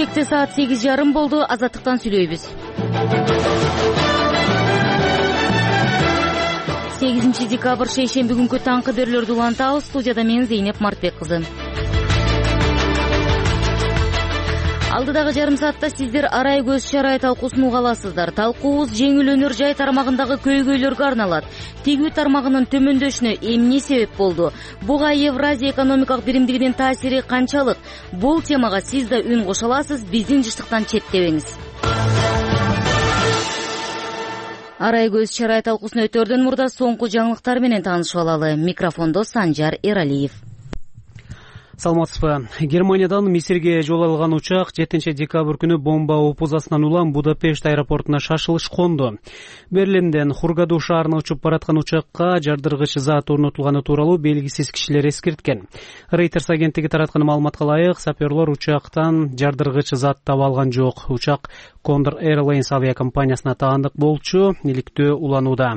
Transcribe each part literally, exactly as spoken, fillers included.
Кечээлекте саат сегиз жарым болду. Азаттыктан сүйлөйбүз. сегизинчи декабрь шейшемби күнкү таңкы берүүлөрдү улантабыз. Студияда мен Зейнеп Мартбек кызы. Алдыдагы жарым саатта сиздер арай көз чарай талкуусун уга аласыздар. Талкуубуз жеңил өнөр жай тармагындагы көйгөйлөргө арналат. Тигүү тармагынын төмөндөшүнө эмне себеп болду? Буга Евразия экономикалык биримдигинин таасири канчалык? Бул темага сиз да үн кошо аласыз. Биздин жыштыктан четтебеңиз. Арай көз чарай талкуусуна өтөрдөн мурда соңку жаңылыктар менен таанышып алалы. Микрофондо Санжар Эралиев. Саламатсызбы. Германиядан Мисирге жол алган учак жетинчи декабрь күнү бомба опузасынан улам Будапешт аэропортуна шашылыш конду. Берлинден Хургаду шаарына учуп бараткан учакка жардыргыч зат орнотулганы тууралуу белгисиз кишилер эскерткен. Reuters агенттиги тараткан маалыматка ылайык, саперлор учактан жардыргыч зат таба алган жок. Учак Condor Airlines авиакомпаниясына таандык болчу, иликтөө уланууда.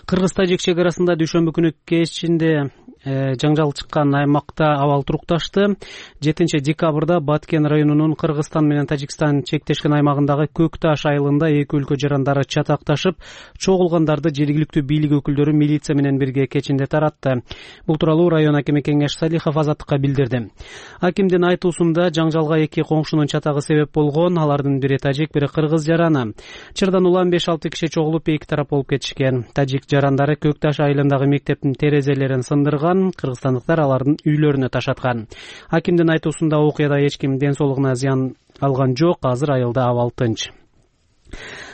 Кыргыз-Тажик чек арасында дүйшөмбү күнү кечинде жаңжал чыккан аймакта абал турукташты. жетинчи декабрда Баткен районунун Кыргызстан менен Тажикстан чектешкен аймагындагы Көкташ айылында эки өлкө жарандары чатакташып, чогулгандарды жергиликтүү бийлик өкүлдөрү милиция менен бирге кечинде таратты. Бул тууралуу район акими Кеңеш Салихов Азаттыкка билдирди. Акимдин айтуусунда жаңжалга эки коңшунун чатагы себеп болгон. Алардын бири тажик, бири кыргыз жараны. Чырдан улам беш алты киши чогулуп эки тарап болуп кетишкен. Тажик жарандары Көкташ айылындагы мектептин терезелерин сындырган, кыргызстандыктар алардын үйлөрүнө ташаткан. Акимдин айтуусунда окуяда эч ким ден соолугуна зыян алган жок. Азыр айылда абал тынч.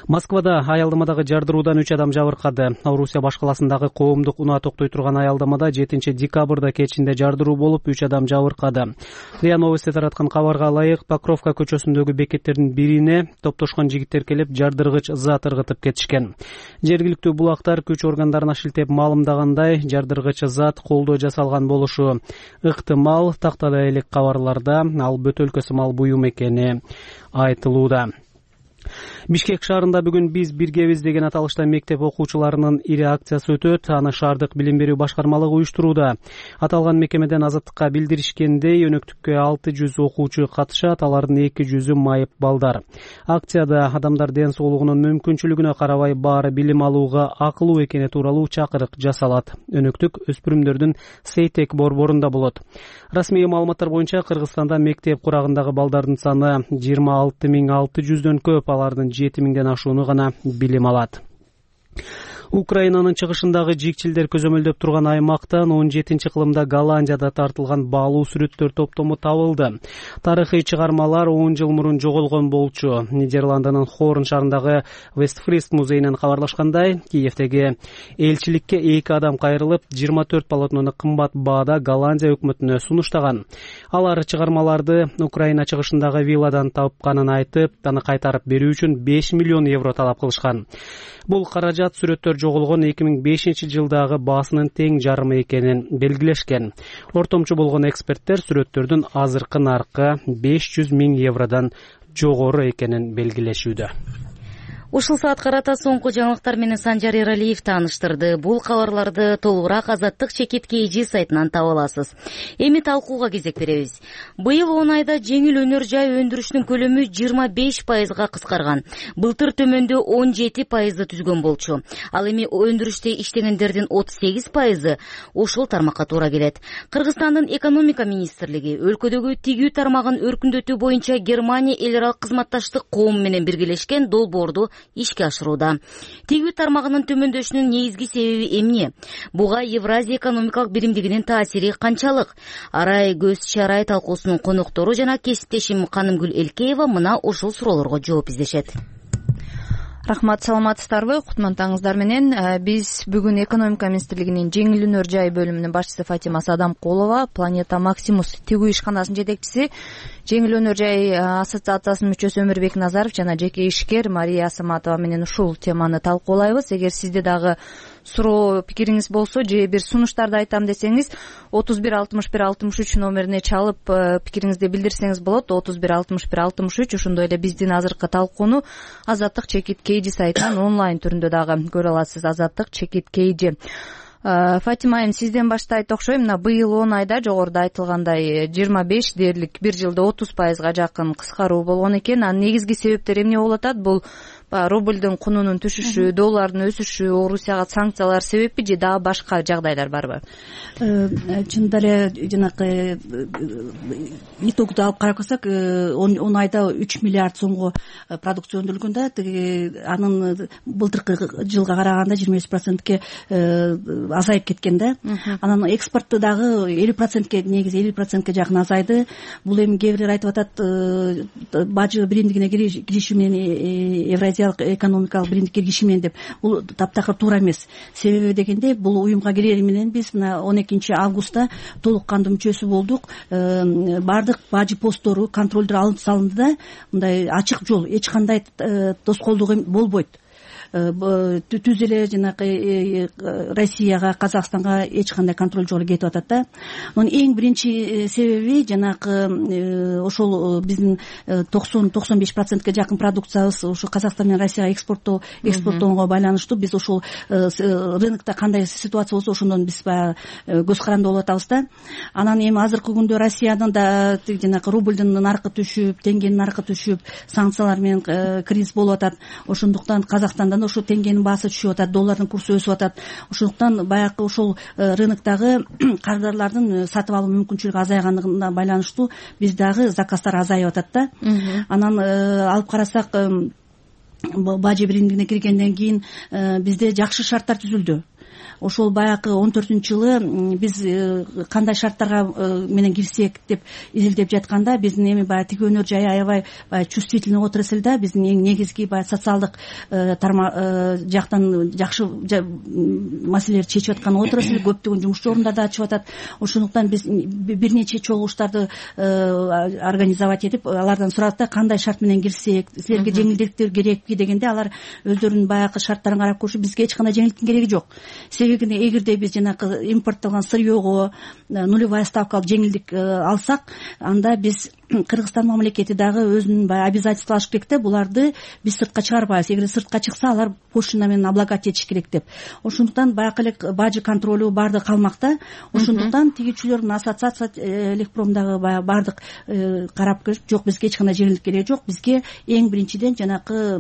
Москвада аялдамадагы жардыруудан үч адам жабыркады. Орусия баш каласындагы коомдук унаа токтой турган аялдамада жетинчи декабрда кечинде жардыруу болуп, үч адам жабыркады. РИА Новости тараткан кабарга ылайык, Покровка көчөсүндөгү бекеттердин бирине топтошкон жигиттер келип жардыргыч зат ыргытып кетишкен. Жергиликтүү булактар күч органдарына шилтеп маалымдагандай, жардыргыч зат колдо жасалган болушу ыктымал. Тактада элек кабарларда ал бөтөлкө сымал буюм экени айтылууда. Бишкек шаарында бүгүн биз биргебиз деген аталышта мектеп окуучуларынын ири акциясы өтөт. Аны шаардык билим берүү башкармалыгы уюштурууда. Аталган мекемеден Азаттыкка билдиришкендей, өнөктүккө алты жүз окуучу катышат, алардын эки жүзү майып балдар. Акцияда адамдар ден соолугунун мүмкүнчүлүгүнө карабай баары билим алууга акылуу экени тууралуу чакырык жасалат. Өнөктүк өспүрүмдөрдүн Сейтек борборунда болот. Расмий маалыматтар боюнча Кыргызстанда мектеп курагындагы балдардын саны жыйырма алты миң алты жүздөн көп, алардын жети миңден ашууну гана билим алат. Украинанын чыгышындагы жикчилдер көзөмөлдөп турган аймактан он жетинчи кылымда Голландияда тартылган баалуу сүрөттөр топтому табылды. Тарыхый чыгармалар он жыл мурун жоголгон болчу. Нидерландынын Хорн шаарындагы Вестфрист музейинен кабарлашкандай, Киевдеги элчиликке эки адам кайрылып, жыйырма төрт полотнону кымбат баада Голландия өкмөтүнө сунуштаган. Алар чыгармаларды Украина чыгышындагы вилладан тапканын айтып, аны кайтарып берүү үчүн беш миллион евро талап кылышкан. Бул каражат сүрөттөр жоголгон эки миң бешинчи жылдагы баасынын тең жарымы экенин белгилешкен. Ортомчу болгон эксперттер сүрөттөрдүн азыркы наркы беш жүз миң евродон жогору экенин белгилешүүдө. Ушул саат карата соңку жаңылыктар менен Санжар Эралиев тааныштырды. Бул кабарларды толугураак Азаттык чекит кейжи сайтынан таба аласыз. Эми талкууга кезек беребиз. Быйыл он айда жеңил өнөр жай өндүрүшүнүн көлөмү жыйырма беш пайызга кыскарган. Былтыр төмөндө он жети пайызды түзгөн болчу. Ал эми өндүрүштө иштегендердин отуз сегиз пайызы ушул тармакка туура келет. Кыргызстандын экономика министрлиги өлкөдөгү тигүү тармагын өркүндөтүү боюнча Германия эл аралык кызматташтык коому менен биргелешкен долбоорду ишке ашырууда. Тигүү тармагынын төмөндөшүнүн негизги себеби эмне? Буга Евразия экономикалык биримдигинин таасири канчалык? Арай көз чарай талкуусунун коноктору жана кесиптешим Канымгүл Элкеева мына ушул суроолорго жооп издешет. Рахмат, саламатсыздарбы? Кутмандыгыңыздар менен биз бүгүн экономика министрлигинин жеңил өнөр жай бөлүмүнүн башчысы Фатима Садамкулова, Планета Максимус тигүү ишканасынын жетекчиси, жеңил өнөр жай ассоциациясынын мүчөсү Өмүрбек Назаров жана жеке ишкер Мария Саматова менен ушул теманы талкуулайбыз. Эгер сизде дагы суроо пикириңиз болсо же бир сунуштарды айтам десеңиз, отуз бир алтымыш бир алтымыш үч номерине чалып пикириңизди билдирсеңиз болот. отуз бир алтымыш бир алтымыш үч. Ошондой эле биздин азыркы талкууну Азаттык чекит кейжи сайтынан онлайн түрүндө дагы көрө аласыз. Азаттык чекит кейжи. Фатима айым, сизден баштайт окшойм. Мына быйыл он айда жогоруда айтылгандай жыйырма беш дээрлик бир жылда отуз пайызга жакын кыскаруу болгон экен. Анын негизги себептери эмне болуп атат? Бул рублдун кунунун түшүшү, доллардын өсүшү, Орусияга санкциялар себеппи же дагы башка жагдайлар барбы? Чынында эле жанакы итогду алып карасак, он айда үч миллиард сомго продукция өндүрүлгөн да, анын былтыркы жылга караганда жыйырма беш процентке азайып кеткен да. Анан экспорту дагы элүү процентке, негизи элүү процентке жакын азайды. Бул эми кээ бирлер айтып атат, бажы биримдигине кириши менен, Евразиялык экономикалык биримдикке кириши менен деп. Бул таптакыр туура эмес. Себеби дегенде, бул уюмга кирери менен биз мына он экинчи августта толук кандуу мүчөсү болдук. Бардык бажы посттору, контролдор алынып салынды да, мындай ачык жол, эч кандай тоскоолдук болбойт. Түз эле жанакы Россияга, Казакстанга эч кандай контроль жок кетип атат да. Анын эң биринчи себеби жанакы ошол биздин токсон токсон беш процентке жакын продукциябыз ошо Казакстан менен Россияга экспорттоо экспорттоого байланыштуу. Биз ошол рынокто кандай ситуация болсо ошондон биз баягы көз каранды болуп атабыз да. Анан эми азыркы күндө Россиянын да жанакы рублдун наркы түшүп, теңгенин наркы түшүп, санкциялар менен кризис болуп атат. Ошондуктан Казакстандан ошо теңгенин баасы түшүп атат, доллардын курсу өсүп атат. Ошондуктан баягы ошол рыноктогу кардарлардын сатып алуу мүмкүнчүлүгү азайганына байланыштуу биз дагы заказдар азайып атат да. Анан алып карасак, бажы биримдигине киргенден кийин бизде жакшы шарттар түзүлдү. Ошол баягы он төртүнчү жылы биз кандай шарттарга менен кирсек деп изилдеп жатканда, биздин эми баягы тиги өнөр жайы аябай баягы чувствительный отрасль да. Биздин эң негизги баягы социалдык жактан жакшы маселелерди чечип аткан отрасль, көптөгөн жумуш орундарды ачып атат. Ошондуктан биз бир нече чогулуштарды организовать этип, алардан сурадык да, кандай шарт менен кирсек, силерге жеңилдиктер керекпи дегенде, алар өздөрүнүн баягы шарттарын карап көрүшүп, бизге эч кандай жеңилдиктин кереги жок. Себеби эгерде биз жанакы импортталган сырьего нулевая ставкалык жеңилдик алсак, анда биз Кыргызстан мамлекети дагы өзүнүн баягы обязательство алыш керек да, буларды биз сыртка чыгарбайбыз. Эгер сыртка чыкса, алар пошлина менен облагать этиш керек деп. Ошондуктан баягы эле бажы контролу бардыгы калмакта. Ошондуктан тигичилердин ассоциация Электромдагы баягы бардык карап көрүп, жок, бизге эч кандай жеңилдик кереги жок. Бизге эң биринчиден жанакы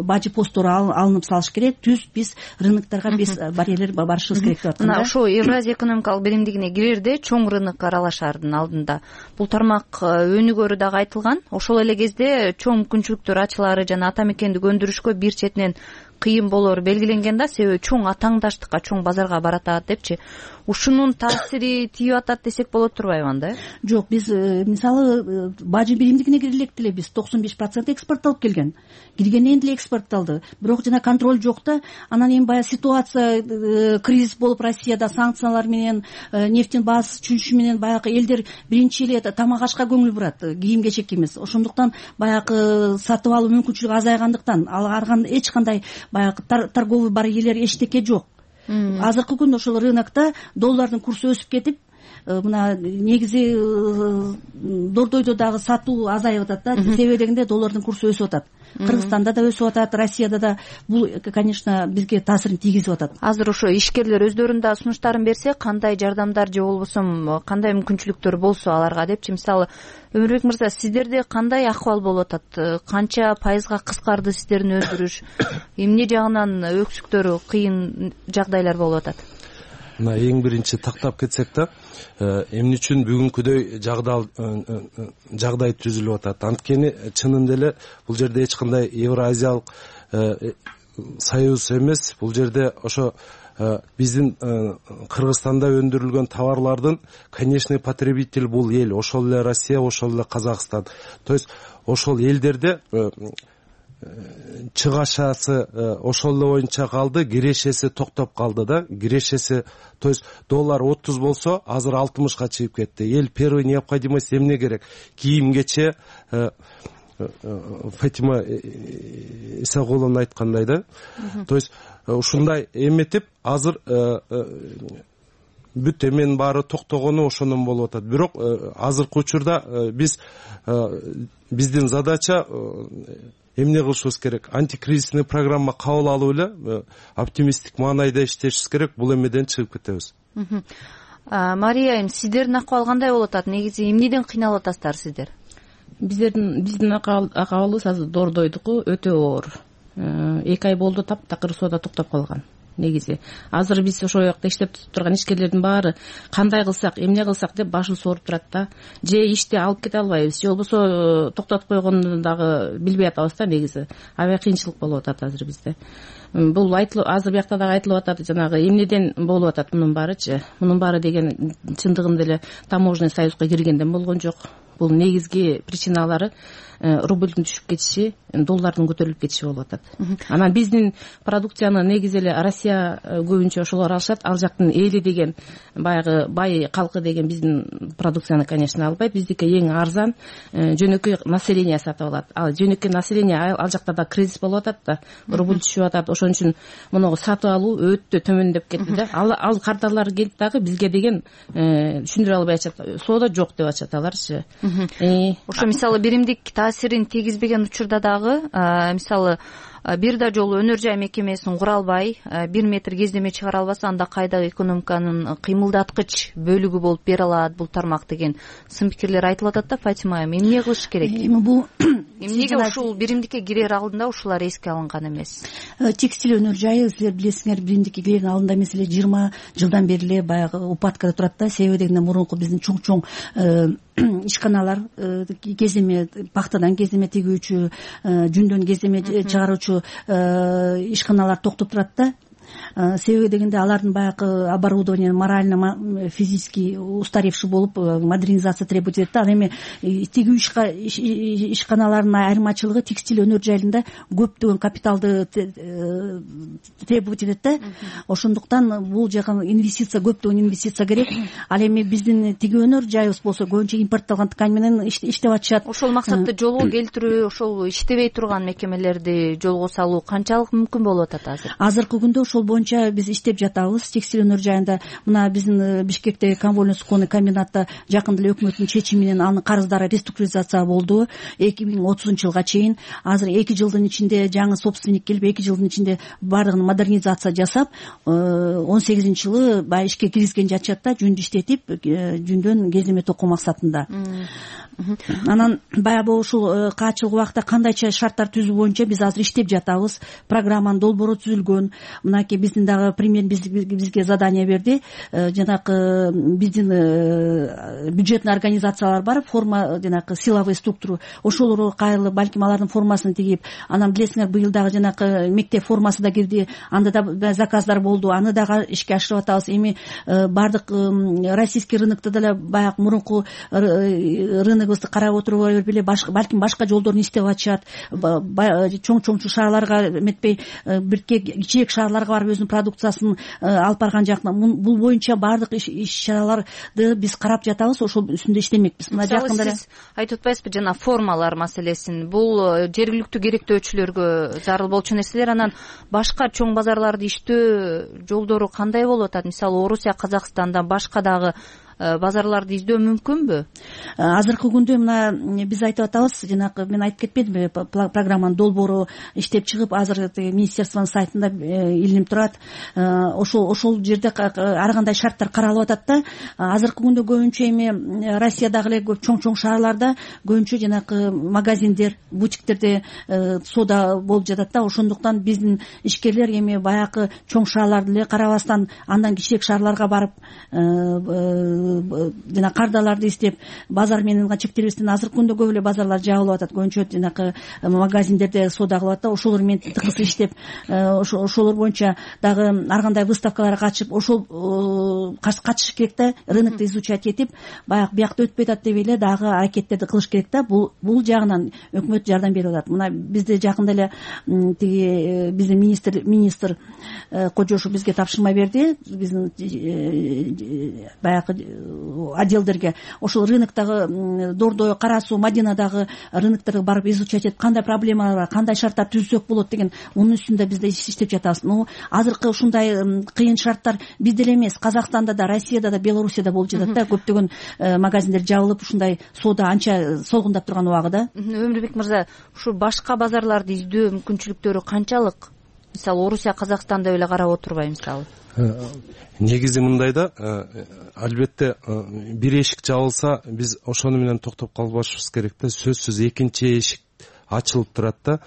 бажы посттору алынып салыш керек. Түз биз рыноктарга биз барьерлер барышыбыз керек деп атканда. Мына ошо Евразия экономикалык биримдигине кирерде чоң рынок аралашаардын алдында бул тармак өнүгөрү дагы айтылган. Ошол эле кезде чоң мүмкүнчүлүктөр ачылары жана ата мекендик өндүрүшкө бир четинен кыйын болоору белгиленген да, себеби чоң атаңдаштыкка, чоң базарга баратат депчи. Ушунун таасири тийип атат десек болот турбайбы анда? Жок, биз мисалы бажы биримдигине кирелек деле биз токсон беш процент экспортталып келген. Киргенден деле экспортталды. Бирок жана контроль жок да. Анан эми баягы ситуация кризис болуп, Россияда санкциялар менен, нефтин баасы түшүшү менен баягы элдер биринчи эле тамак ашка көңүл бурат, кийим кечек эмес. Ошондуктан баягы сатып алуу мүмкүнчүлүгү азайгандыктан аларга эч кандай баягы торговый барьерлер эчтеке жок. Азыркы күндө ошол рынокто доллардын курсу өсүп кетип, мына негизи дордойдо дагы сатуу азайып атат да. Себеби дегенде доллардын курсу өсүп атат. Кыргызстанда да өсүп атат, Россияда да. Бул, конечно, бизге таасирин тийгизип атат. Азыр ошо ишкерлер өздөрүнүн да сунуштарын берсе, кандай жардамдар же болбосо кандай мүмкүнчүлүктөр болсо аларга депчи. Мисалы, Өмүрбек мырза, сиздерде кандай акыбал болуп атат? Канча пайызга кыскарды сиздердин өндүрүш? Эмне жагынан өксүктөр, кыйын жагдайлар болуп атат? Мына эң биринчи тактап кетсек да, эмне үчүн бүгүнкүдөй жагдай түзүлүп атат? Анткени чынында эле бул жерде эч кандай Евразиялык союз эмес, бул жерде ошо биздин Кыргызстанда өндүрүлгөн товарлардын конечный потребитель бул эл, ошол эле Россия, ошол эле Казакстан. То есть ошол элдерде чыгашасы ошол эле боюнча калды, кирешеси токтоп калды да. Кирешеси, то есть доллар отуз болсо, азыр алтымышка чыгып кетти. Эл первый необходимость эмне керек? Кийим кече, Фатима Исагуловна айткандай да. То есть ушундай эметип, азыр бүт эменин баары токтогону ошондон болуп атат. Бирок азыркы учурда биз биздин задача эмне кылышыбыз керек, антикризисный программа кабыл алып эле оптимисттик маанайда иштешибиз керек, бул эмеден чыгып кетебиз. Мария айым, сиздердин акыбал кандай болуп атат? Негизи эмнеден кыйналып атасыздар сиздер? Биздердин биздин акыбалыбыз азыр доордойдуку өтө оор. Эки ай болду таптакыр соода токтоп калган. Негизи азыр биз ошол жакта иштеп турган ишкерлердин баары кандай кылсак, эмне кылсак деп башы сооруп турат да. Же ишти алып кете албайбыз, же болбосо токтотуп койгондун дагы билбей атабыз да. Негизи аябай кыйынчылык болуп атат азыр бизде. Бул айтылып азыр биякта дагы айтылып атат, жанагы эмнеден болуп атат мунун баарычы. Мунун баары деген чындыгында эле таможенный союзга киргенден болгон жок. Бул негизги причиналары рубльдин түшүп кетиши, доллардын көтөрүлүп кетиши болуп атат. Анан биздин продукцияны негизи эле Россия көбүнчө ошолор алышат. Ал жактын эли деген баягы бай калкы деген биздин продукцияны, конечно, албайт. Биздики эң арзан, жөнөкөй население сатып алат. Ал жөнөкөй население ал жакта да кризис болуп атат да, рубль түшүп атат. Ошон үчүн муну сатып алуу өтө төмөндөп кетти да. Ал ал кардарлар келип дагы бизге деген түшүндүрө албай атышат. Соода жок деп атышат аларчы. Ошо мисалы биримдик таасирин тийгизбеген учурда дагы мисалы бир да жолу өнөр жай мекемесин кура албай, бир метр кездеме чыгара албаса, анда кайдагы экономиканын кыймылдаткыч бөлүгү болуп бере алат бул тармак деген сын пикирлер айтылып атат да. Фатима айым, эмне кылыш керек? Эми бул эмнеге ушул биримдикке кирер алдында ушулар эске алынган эмес? Текстиль өнөр жайы силер билесиңер, биримдикке кирердин алдында эмес эле жыйырма жылдан бери эле баягы упадкада турат да. Себеби дегенде мурунку биздин чоң чоң ишканалар, кеземе пахтадан кеземе тигүүчү, жүндөн кеземе чыгаруучу ишканалар токтоп турат да. Себеби дегенде алардын баягы оборудование морально физически устаревший болуп модернизация требует этет да. Ал эми тигүү ишканаларынын айырмачылыгы текстиль өнөр жайында көптөгөн капиталды требует этет да. Ошондуктан бул жака инвестиция, көптөгөн инвестиция керек. Ал эми биздин тигүү өнөр жайыбыз болсо көбүнчө импортталган ткань менен иштеп атышат. Ошол максатты жолго келтирүү, ошол иштебей турган мекемелерди жолго салуу канчалык мүмкүн болуп атат азыр? Азыркы күндө ошол боюнча биз иштеп жатабыз. Текстиль өнөр жайында мына биздин Бишкектеги конвольный суконный комбинатта жакында эле өкмөттүн чечими менен анын карыздары реструктуризация болду эки миң отузунчу жылга чейин. Азыр эки жылдын ичинде жаңы собственник келип, эки жылдын ичинде баардыгын модернизация жасап, он сегизинчи жылы баягы ишке киргизген жатышат да, жүндү иштетип, жүндөн кеземе токуу максатында. Анан баягы ушул качылык убакта кандайча шарттар түзүү боюнча биз азыр иштеп жатабыз. Программанын долбоору түзүлгөн. Мынакей биздин дагы премьер бизге задание берди. Жанагы биздин бюджетный организациялар бар, форма, жанагы силовой структуру. Ошолору кайрылып, балким алардын формасын тигип, анан билесиңер, быйыл дагы жанагы мектеп формасы да кирди. Анда да заказдар болду. Аны дагы ишке ашырып атабыз. Эми бардык российский рынокто деле баягы мурунку рыногубузду карап отуруп эле балким башка жолдорун иштеп атышат. Чоң-чоң шаарларга эметпей, бирке кичээк шаарларга барып өзүнүн продукциясын алып барган жакта. Бул боюнча баардык иш-чараларды биз карап жатабыз, ошол үстүндө иштемекпиз. Мына жакында эле сиз айтып атпайсызбы, жана формалар маселесин. Бул жергиликтүү керектөөчүлөргө зарыл болчу нерселер. Анан башка чоң базарларды иштөө жолдору кандай болуп атат? Мисалы Орусия, Казакстандан башка дагы базарларды издөө мүмкүнбү? Азыркы күндө мына биз айтып атабыз, жанагы мен айтып кетпедимби, программанын долбоору иштеп чыгып, азыр министерствонун сайтында илинип турат. Ошол ошол жерде ар кандай шарттар каралып атат да. Азыркы күндө көбүнчө эми Россиядагы эле чоң-чоң шаарларда көбүнчө жанагы магазиндер, бутиктерде соода болуп жатат да. Ошондуктан биздин ишкерлер эми баягы чоң шаарларды эле карабастан, андан кичиек шаарларга барып жана кардаларды издеп, базар менен чектелбестен, азыркы күндө көп эле базарлар жабылып атат. Көбүнчө жанагы магазиндерде соода кылып атат да. Ошолор менен тыкыз иштеп, ошолор боюнча дагы ар кандай выставкаларга катышып, ошол катышыш керек да. Рынокто изучать этип, баягы биякта өтпөй атат деп эле дагы аракеттерди кылыш керек да. Бул бул жагынан өкмөт жардам берип атат. Мына бизде жакында эле тиги биздин министр министр Кожошов бизге тапшырма берди. Биздин баягы отделдерге, ошол рыноктогу Дордой, Кара Суу, Мадинадагы рынокторго барып изучать этип, кандай проблемалар бар, кандай шарттар түзсөк болот деген мунун үстүндө биз да иштеп жатабыз. Ну азыркы ушундай кыйын шарттар бизде эле эмес, Казакстанда да, Россияда да, Белоруссияда болуп жатат да. Көптөгөн магазиндер жабылып, ушундай соода анча солгундап турган убагыда. Өмүрбек мырза, ушу башка базарларды издөө мүмкүнчүлүктөрү канчалык? Мисалы Орусия, Казакстанда эле карап отурбай мисалы. Негизи мындай да, албетте бир эшик жабылса биз ошону менен токтоп калбашыбыз керек да. Сөзсүз экинчи эшик ачылып турат да.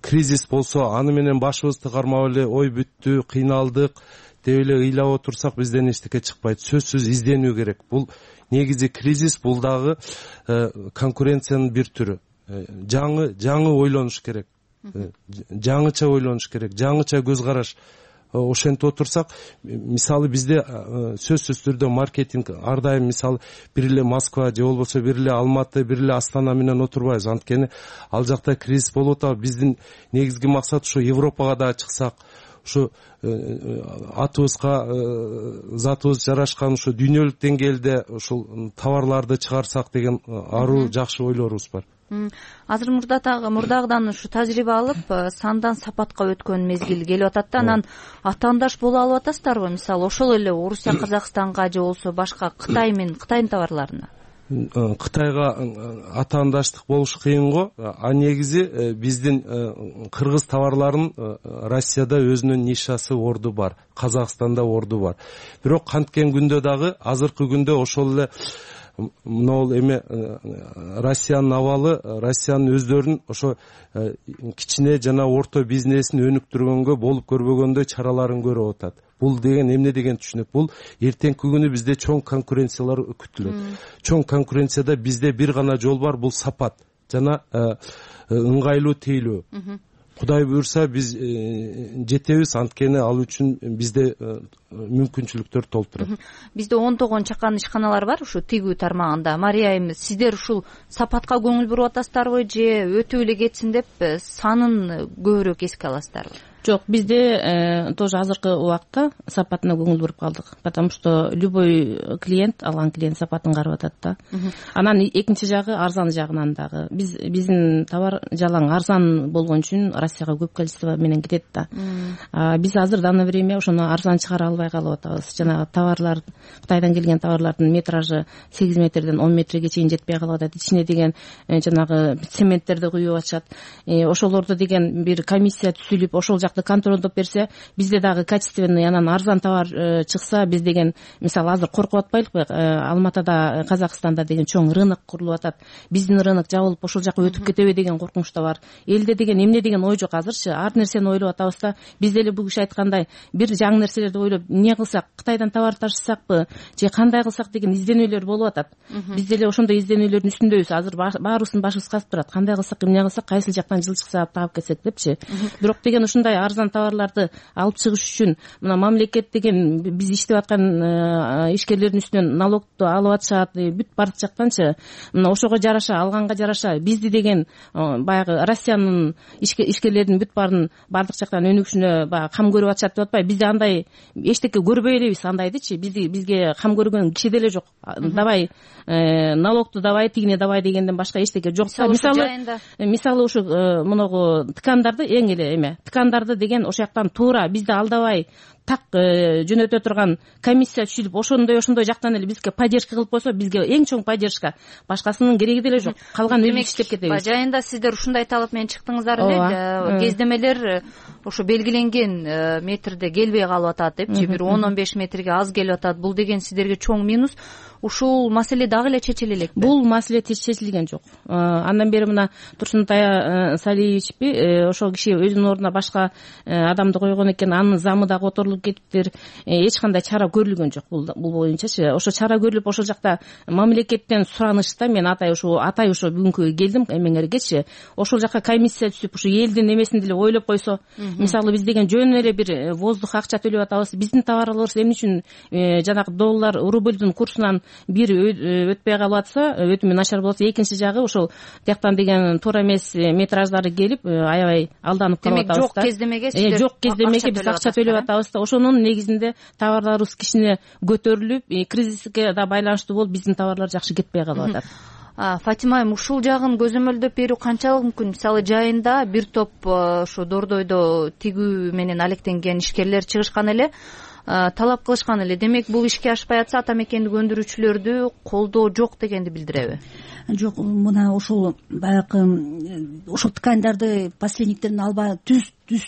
Кризис болсо аны менен башыбызды кармап эле ой бүттү, кыйналдык деп эле ыйлап отурсак бизден эчтеке чыкпайт. Сөзсүз изденүү керек. Бул негизи кризис, бул дагы конкуренциянын бир түрү. Жаңы жаңы ойлонуш керек. Жаңыча ойлонуш керек, жаңыча көз караш. Ошентип отурсак, мисалы бизде сөзсүз түрдө маркетинг ар дайым мисалы бир эле Москва же болбосо бир эле Алматы, бир эле Астана менен отурбайбыз. Анткени ал жакта кризис болуп атат. Биздин негизги максат ушу Европага да чыксак, ушу атыбызга затыбыз жарашкан ушу дүйнөлүк деңгээлде ушул товарларды чыгарсак деген аруу жакшы ойлорубуз бар. Азыр мурдагыдан ушу тажрыйба алып, сандан сапатка өткөн мезгил келип атат да, анан атаандаш боло алып атасыздарбы? Мисалы ошол эле Орусия, Казакстанга же болбосо башка Кытай менен Кытайдын товарларына. Кытайга атаандаштык болуш кыйын го. А негизи биздин кыргыз товарларынын Россияда өзүнүн нишасы, орду бар. Казакстанда орду бар. Бирок канткен күндө дагы азыркы күндө ошол эле могул эме Россиянын абалы, Россиянын өздөрүнүн ошо кичине жана орто бизнесин өнүктүргөнгө болуп көрбөгөндөй чараларын көрүп атат. Бул деген эмне деген түшүнөк? Бул эртеңки күнү бизде чоң конкуренциялар күтүлөт. Чоң конкуренцияда бизде бир гана жол бар, бул сапат жана ыңгайлуу тейлөө. Кудай буйрса биз жетебиз, анткени ал үчүн бизде мүмкүнчүлүктөр толуп турат. Бизде ондогон чакан ишканалар бар ушу тигүү тармагында. Мария айым, сиздер ушул сапатка көңүл буруп атасыздарбы же өтүп эле кетсин деп санын көбүрөөк эске аласыздарбы? Жок, бизде тоже азыркы убакта сапатына көңүл буруп калдык. Потому что любой клиент, алган клиент сапатын карап атат да. Анан экинчи жагы арзан жагынан дагы. Биз биздин товар жалаң арзан болгон үчүн Россияга көп количество менен кетет да. Биз азыр дано время ошону арзан чыгара албай калып атабыз. Жанагы товарлар, Кытайдан келген товарлардын метражы сегиз метрден он метрге чейин жетпей калып атат. Ичине деген жанагы цементтерди куюп атышат. Ошолорду деген бир комиссия түзүлүп, ошол контролдоп берсе, бизде дагы качественный анан арзан товар чыкса, биз деген мисалы азыр коркуп атпайлыкпы? Алматада, Казакстанда деген чоң рынок курулуп атат. Биздин рынок жабылып ошол жака өтүп кетеби деген коркунуч да бар. Элде деген эмне деген ой жок азырчы. Ар нерсени ойлоп атабыз да. Биз деле бул киши айткандай бир жаңы нерселерди ойлоп, эмне кылсак, Кытайдан товар ташысакпы, же кандай кылсак деген изденүүлөр болуп атат. Биз деле ошондой изденүүлөрдүн үстүндөбүз. Азыр баарыбыздын башыбыз казып турат. Кандай кылсак, эмне кылсак, кайсыл жактан жылчык саап таап кетсек депчи. Бирок деген ушундай арзан товарларды алып чыгыш үчүн мына мамлекет деген биз иштеп аткан ишкерлердин үстүнөн налогду алып атышат, бүт бардык жактанчы. Мына ошого жараша, алганга жараша бизди деген баягы Россиянын ишкерлердин бүт баарын бардык жактан өнүгүшүнө баягы кам көрүп атышат деп атпайбы? Бизде андай эчтеке көрбөй элебиз андайдычы. Бизди бизге кам көргөн киши деле жок. Давай налогду давай, тигине давай дегенден башка эчтеке жок. Мисалы мисалы ушу моногу ткандарды эң эле эме ткандарды деген ошол жактан туура бизди алдабай так жөнөтө турган комиссия түзүлүп, ошондой ошондой жактан эле бизге поддержка кылып койсо, бизге эң чоң поддержка. Башкасынын кереги деле жок. Калган өзүбүз иштеп кетебиз. Жайында сиздер ушундай талап менен чыктыңыздар эле. Кездемелер ошо белгиленген метрде келбей калып атат депчи, бир он он беш метрге аз келип атат. Бул деген сиздерге чоң минус. Ушул маселе дагы эле чечиле элекпи? Бул маселе чечилген жок. Андан бери мына Турсунтай Салиевичпи, ошол киши өзүнүн ордуна башка адамды койгон экен, анын замы да которулуп кетиптир. Эч кандай чара көрүлгөн жок бул бул боюнчачы. Ошо чара көрүлүп, ошол жакта мамлекеттен суранышта мен атай ушу атай ушу бүгүнкү келдим эмеңергечи. Ошол жака комиссия түзүп, ушу элдин эмесин деле ойлоп койсо, мисалы биз деген жөн эле бир воздух акча төлөп атабыз. Биздин товарларыбыз эмне үчүн жанагы доллар, рубльдин курсунан бир өтпөй калып атса, өтүмү начар болсо, экинчи жагы ошол тияктан деген туура эмес метраждары келип, аябай алданып калып атабыз да. Демек, жок кездемеге сиздер жок кездемеге биз акча төлөп атабыз да, ошонун негизинде товарларыбыз кичине көтөрүлүп, кризиске да байланыштуу болуп биздин товарлар жакшы кетпей калып атат. Фатима айым, ушул жагын көзөмөлдөп берүү канчалык мүмкүн? Мисалы, жайында бир топ ушу дордойдо тигүү менен алектенген ишкерлер чыгышкан эле, талап кылышкан эле. Демек, бул ишке ашпай атса ата мекендик өндүрүүчүлөрдү колдоо жок дегенди билдиреби? Жок, мына ошол баягы ошол тканьдарды посредниктерден албай түз түз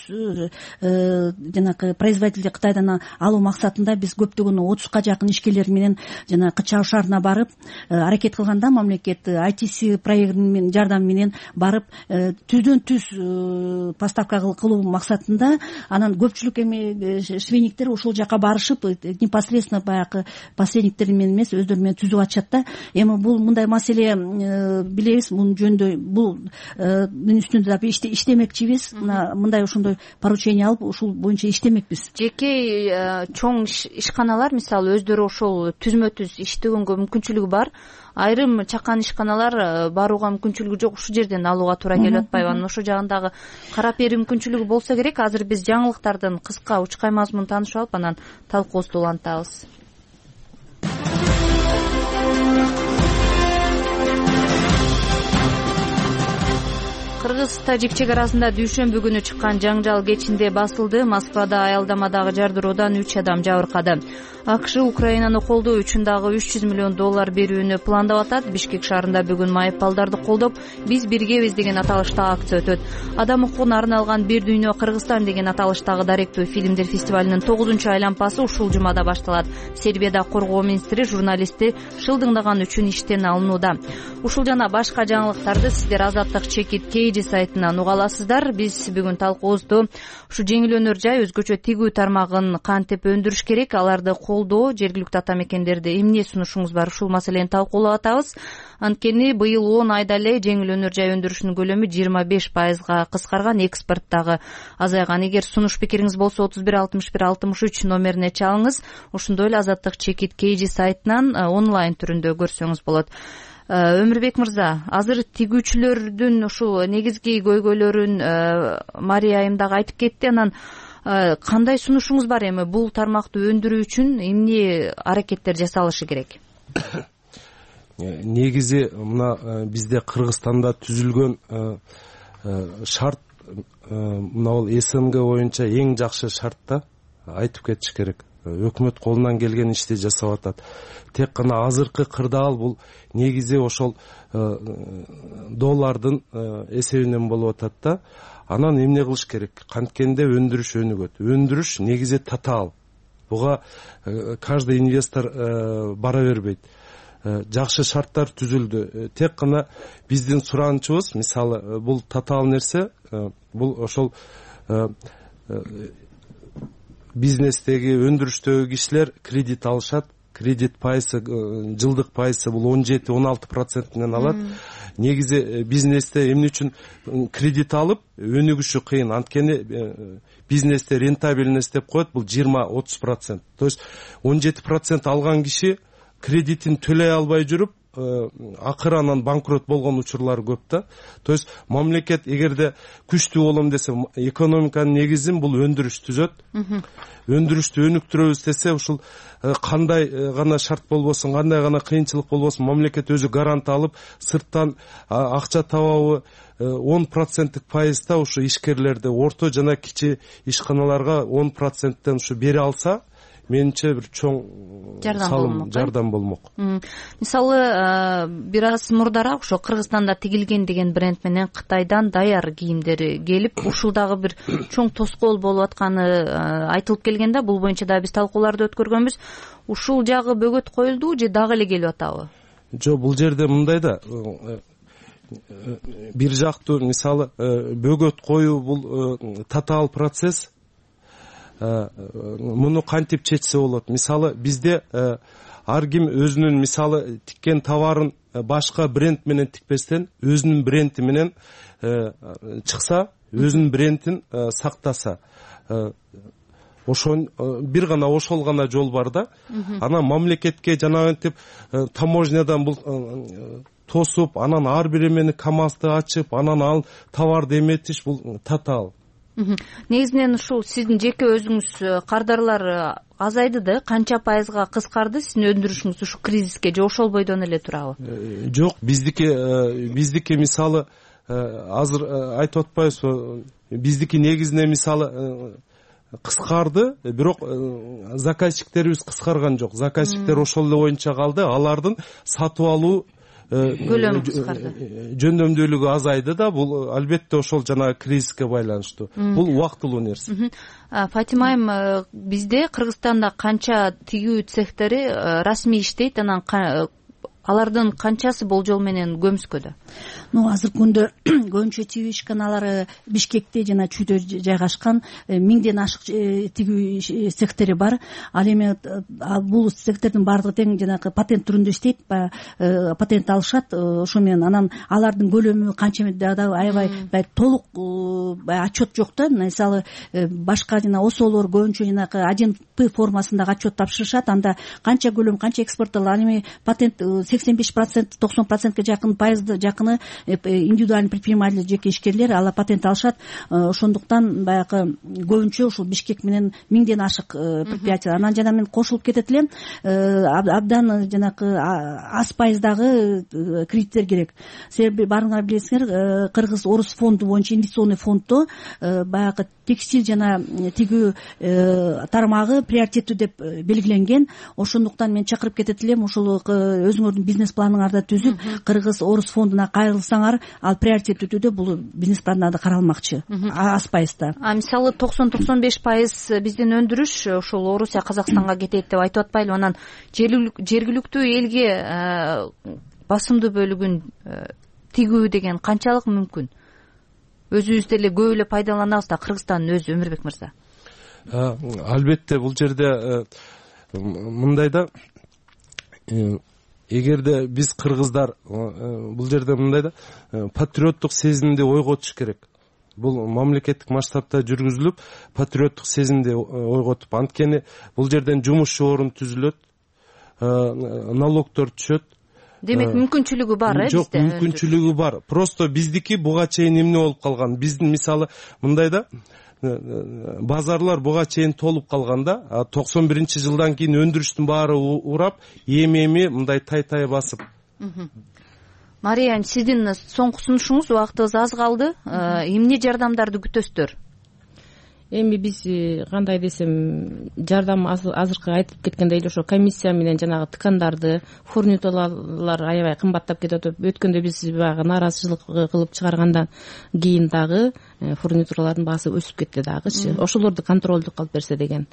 жанагы производителди Кытайдан алуу максатында биз көптөгөн отузга жакын ишкерлер менен жана Чау шаарына барып аракет кылганда, мамлекет ай ти си проектинин жардамы менен барып түздөн түз поставка кылуу максатында, анан көпчүлүк эми швейниктер ошол жака барышып непосредственно баягы посредниктер менен эмес, өздөрү менен түзүп атышат да. Эми бул мындай маселе билебиз, мунун жөнүндө бул мунун үстүндө да иштемекчибиз. Мына мындай ошондой поручение алып ушул боюнча иштемекпиз. Жеке чоң ишканалар мисалы өздөрү ошол түзмө түз иштегөнгө мүмкүнчүлүгү бар, айрым чакан ишканалар барууга мүмкүнчүлүгү жок, ушул жерден алууга туура келип атпайбы? Анан ошол жагындагы карап берүү мүмкүнчүлүгү болсо керек. Азыр биз жаңылыктардын кыска учкай мазмунун таанышып алып, анан талкуубузду улантабыз. Кыргыз-Тажик чек арасында дүйшөмбү күнү чыккан жаңжал кечинде басылды. Москвада аялдамадагы жардыруудан үч адам жабыркады. АКШ Украинаны колдоо үчүн дагы үч жүз миллион доллар берүүнү пландап атат. Бишкек шаарында бүгүн майыппалдарды колдоп, биз биргебиз деген аталыштагы акция өтөт. Адам укугуна арналган Бир дүйнө Кыргызстан деген аталыштагы даректүү фильмдер фестивалынын тогузунчу айлампасы ушул жумада башталат. Сербияда коргоо министри журналистти шылдыңдаган үчүн иштен алынууда. Ушул жана башка жаңылыктарды сиздер Азаттык чекит Кейджи сайтынан уга аласыздар. Биз бүгүн талкуубузду ушу жеңил өнөр жай, өзгөчө тигүү тармагын кантип өндүрүш керек, аларды колдоо, жергиликтүү ата мекендерде эмне сунушуңуз бар, ушул маселени талкуулап атабыз. Анткени быйыл он айда эле жеңил өнөр жай өндүрүшүнүн көлөмү жыйырма беш пайызга кыскарган, экспорт дагы азайган. Эгер сунуш пикириңиз болсо отуз бир алтымыш бир алтымыш үч номерине чалыңыз. Ошондой эле Азаттык чекит Кейджи сайтынан онлайн түрүндө көрсөңүз болот. Өмүрбек мырза, азыр тигүүчүлөрдүн ушул негизги көйгөйлөрүн Мария айым дагы айтып кетти. Анан кандай сунушуңуз бар эми бул тармакты өндүрүү үчүн эмне аракеттер жасалышы керек? Негизи мына бизде Кыргызстанда түзүлгөн шарт, мына бул эс эм гэ боюнча эң жакшы шарт да, айтып кетиш керек. Өкмөт колунан келген ишти жасап атат. Тек гана азыркы кырдаал бул негизи ошол доллардын эсебинен болуп атат да. Анан эмне кылыш керек? Канткенде өндүрүш өнүгөт. Өндүрүш негизи татаал. Буга каждый инвестор бара бербейт. Жакшы шарттар түзүлдү. Тек гана биздин суранычыбыз, мисалы, бул татаал нерсе, бул ошол бизнестеги, өндүрүштөгү кишилер кредит алышат. Кредит пайысы, жылдык пайысы бул он жети он алты процентинен алат. Негизи бизнесте эмне үчүн кредит алып өнүгүшү кыйын? Анткени бизнесте рентабельность деп коет, бул жыйырма отуз процент. То есть он жети процент алган киши кредитин төлөй албай жүрүп, акыры анан банкрот болгон учурлар көп да. То есть мамлекет эгерде күчтүү болом десе, экономиканын негизин бул өндүрүш түзөт. Өндүрүштү өнүктүрөбүз десе, ушул кандай гана шарт болбосун, кандай гана кыйынчылык болбосун, мамлекет өзү гарант алып, сырттан акча табабы он проценттик пайызда ушу ишкерлерди, орто жана кичи ишканаларга он проценттен ушу бере алса, менимче бир чоң салым, жардам болмок. Мисалы, бир аз мурдараак ошо Кыргызстанда тигилген деген бренд менен Кытайдан даяр кийимдер келип, ушул дагы бир чоң тоскоол болуп атканы айтылып келген да. Бул боюнча да биз талкууларды өткөргөнбүз. Ушул жагы бөгөт коюлду же дагы эле келип атабы? Жок, бул жерде мындай да, бир жактуу, мисалы, бөгөт коюу бул татаал процесс. Муну кантип чечсе болот? Мисалы, бизде ар ким өзүнүн, мисалы, тиккен товарын башка бренд менен тикпестен, өзүнүн бренди менен чыкса, өзүнүн брендин сактаса, ошон бир гана ошол гана жол бар да. Анан мамлекетке жанагынтип таможнядан бул тосуп, анан ар бир эмени КамАЗды ачып, анан ал товарды эметиш, бул татаал. негизинен ушул сиздин жеке өзүңүз кардарлар азайды да, канча пайызга кыскарды сиздин өндүрүшүңүз ушу кризиске же ошол бойдон эле турабы? Жок, биздики биздики мисалы азыр айтып атпайбызбы, биздики негизинен мисалы кыскарды, бирок заказчиктерибиз кыскарган жок. Заказчиктер ошол эле боюнча калды. Алардын сатып алуу көлөмү кыскарды, жөндөмдүүлүгү азайды да. Бул албетте ошол жанагы кризиске байланыштуу. Бул убактылуу нерсе. Фатима айым, бизде Кыргызстанда канча тигүү цехтери расмий иштейт, анан алардын канчасы болжол менен көмүскөдө? Ну, азыркы күндө көбүнчө тигүү ишканалары Бишкекте жана Чүйдө жайгашкан, миңден ашык тигүү цехтери бар. Ал эми бул цехтердин баардыгы тең жанагы патент түрүндө иштейт, баягы патент алышат, ошо менен анан алардын көлөмү канча да аябай толук баягы отчет жок да. Мисалы башка жана осолор көбүнчө жанагы один П формасындагы отчет тапшырышат, анда канча көлөм, канча экспортталат. Ал эми патент сексен беш процент токсон процентке жакын пайызды жакыны индивидуальный предприниматель, жеке ишкерлер алар патент алышат. Ошондуктан баягы көбүнчө ушул Бишкек менен миңден ашык предприятие. Анан жана мен кошулуп кетет элем, абдан жанагы аз пайыздагы кредиттер керек. Себеби баарыңар билесиңер, Кыргыз Орус фонду боюнча инвестиционный фонддо баягы текстиль жана тигүү тармагы приоритеттүү деп белгиленген. Ошондуктан мен чакырып кетет элем, ошол өзүңөрдүн бизнес планыңарды түзүп, Кыргыз Орус фондуна кайрылсаңар, ал приоритеттүү түрдө бул бизнес планда каралмакчы, аз пайызда. А мисалы токсон токсон беш пайыз биздин өндүрүш ошол Орусия, Казакстанга кетет деп айтып атпайлыбы? Анан жергиликтүү элге басымдуу бөлүгүн тигүү деген канчалык мүмкүн? Өзүбүз деле көп эле пайдаланабыз да, Кыргызстандын өзү. Өмүрбек мырза. Албетте бул жерде мындай да, эгерде биз кыргыздар бул жерде мындай да патриоттук сезимди ойготуш керек. Бул мамлекеттик масштабта жүргүзүлүп, патриоттук сезимди ойготуп, анткени бул жерден жумуш орун түзүлөт, налогдор түшөт. Демек мүмкүнчүлүгү бар, э, жок, бизде? мүмкүнчүлүгү бар. Просто биздики буга чейин эмне болуп калган? Биздин мисалы мындай да, базарлар буга чейин толуп калганда, токсон биринчи жылдан кийин өндүрүштүн баары урап, эми-эми мындай тай-тай басып. Мария, сиздин соңку сунушуңуз, убактыбыз аз калды. Эмне жардамдарды күтөсүздөр? Эми биз кандай десем, жардам азыркы айтып кеткендей эле ошо комиссия менен жанагы ткандарды, фурнитуралар аябай кымбаттап кетип атат. Өткөндө биз баягы нааразычылык кылып чыгаргандан кийин дагы фурнитуралардын баасы өсүп кетти дагычы. Ошолорду контролдук кылып берсе деген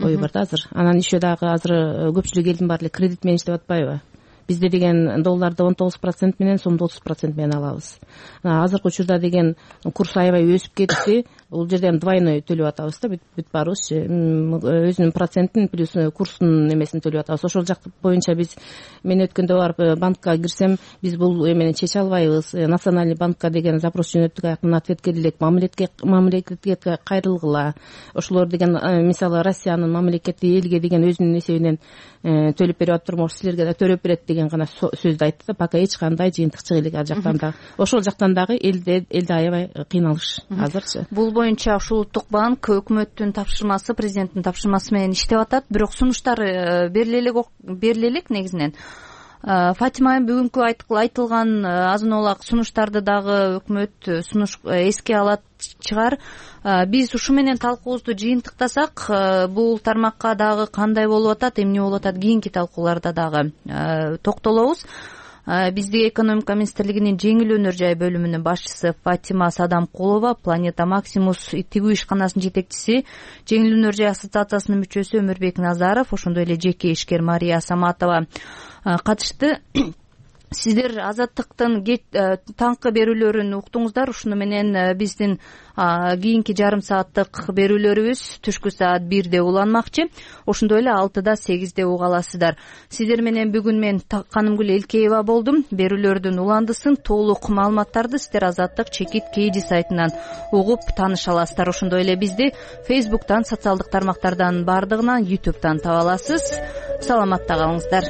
ой бар да азыр. Анан еще дагы азыр көпчүлүк элдин баары эле кредит менен иштеп атпайбы? Бизде деген долларды он тогуз процент менен, сомду отуз процент менен алабыз. Азыркы учурда деген курс аябай өсүп кетти. Бул жерден двойной төлөп атабыз да, бүт баарыбызчы. Өзүнүн процентин плюс курстун эмесин төлөп атабыз. Ошол жак боюнча биз, мен өткөндө барып банкка кирсем, биз бул эмени чече албайбыз. Национальный банкка деген запрос жөнөттүк, аяктан ответ келди элек. Мамлекетке мамлекетке кайрылгыла. Ошолор деген мисалы Россиянын мамлекети элге деген өзүнүн эсебинен төлөп берип атыптыр, может силерге да төлөп берет деген гана сөздү айтты да, пока эч кандай жыйынтыкчылык элек ал жактан да. Ошол жактан дагы элде элде аябай кыйналыш азырчы. Бул боюнча ушул Улуттук банк өкмөттүн тапшырмасы, президенттин тапшырмасы менен иштеп атат, бирок сунуштар бериле элек негизинен. Фатима, бүгүнкү айтылган азын олак сунуштарды дагы өкмөт сунуш эске алат чыгар. Биз ушу менен талкуубузду жыйынтыктасак, бул тармакка дагы кандай болуп атат, эмне болуп атат, кийинки талкууларда дагы токтолобуз. Бизде экономика министрлигинин жеңил өнөр жай бөлүмүнүн башчысы Фатима Садамкулова, Планета Максимус тигүү ишканасынын жетекчиси, жеңил өнөр жай ассоциациясынын мүчөсү Өмүрбек Назаров, ошондой эле жеке ишкер Мария Саматова катышты. Сиздер Азаттыктын таңкы берүүлөрүн уктуңуздар. Ушуну менен биздин кийинки жарым сааттык берүүлөрүбүз түшкү саат бирде уланмакчы. Ошондой эле алтыда сегизде уга аласыздар. Сиздер менен бүгүн мен Канымгүл Элкеева болдум. Берүүлөрдүн уландысын, толук маалыматтарды сиздер Азаттык чекит кейди сайтынан угуп тааныша аласыздар. Ошондой эле бизди Фейсбуктан, социалдык тармактардан бардыгынан, ютубтан таба аласыз. Саламатта калыңыздар.